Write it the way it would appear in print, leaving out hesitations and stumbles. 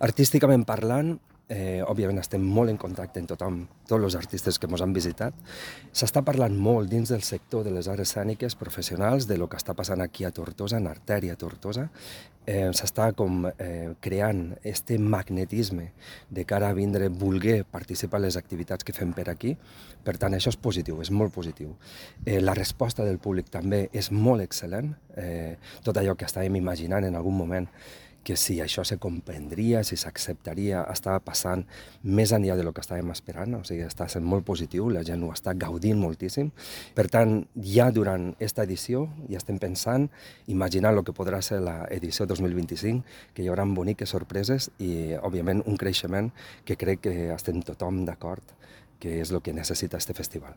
Artísticament parlant, òbviament estem molt en contacte amb tothom, tots els artistes que ens han visitat. S'està parlant molt dins del sector de les arts escèniques professionals de lo que està passant aquí a Tortosa, en Artèria Tortosa. S'està creant este magnetisme de cara a vindre, voler participar en les activitats que fem per aquí. Per tant, això és positiu, és molt positiu. La resposta del públic també és molt excel·lent. Tot allò que estàvem imaginant en algun moment, que si això se comprendria, si s'acceptaria, estava passant més enllà del que estàvem esperant, o sigui, està sent molt positiu, la gent ho està gaudint moltíssim. Per tant, ja durant aquesta edició ja estem pensant, imaginant el que podrà ser l'edició 2025, que hi haurà boniques sorpreses i, òbviament, un creixement que crec que estem tothom d'acord que és el que necessita este festival.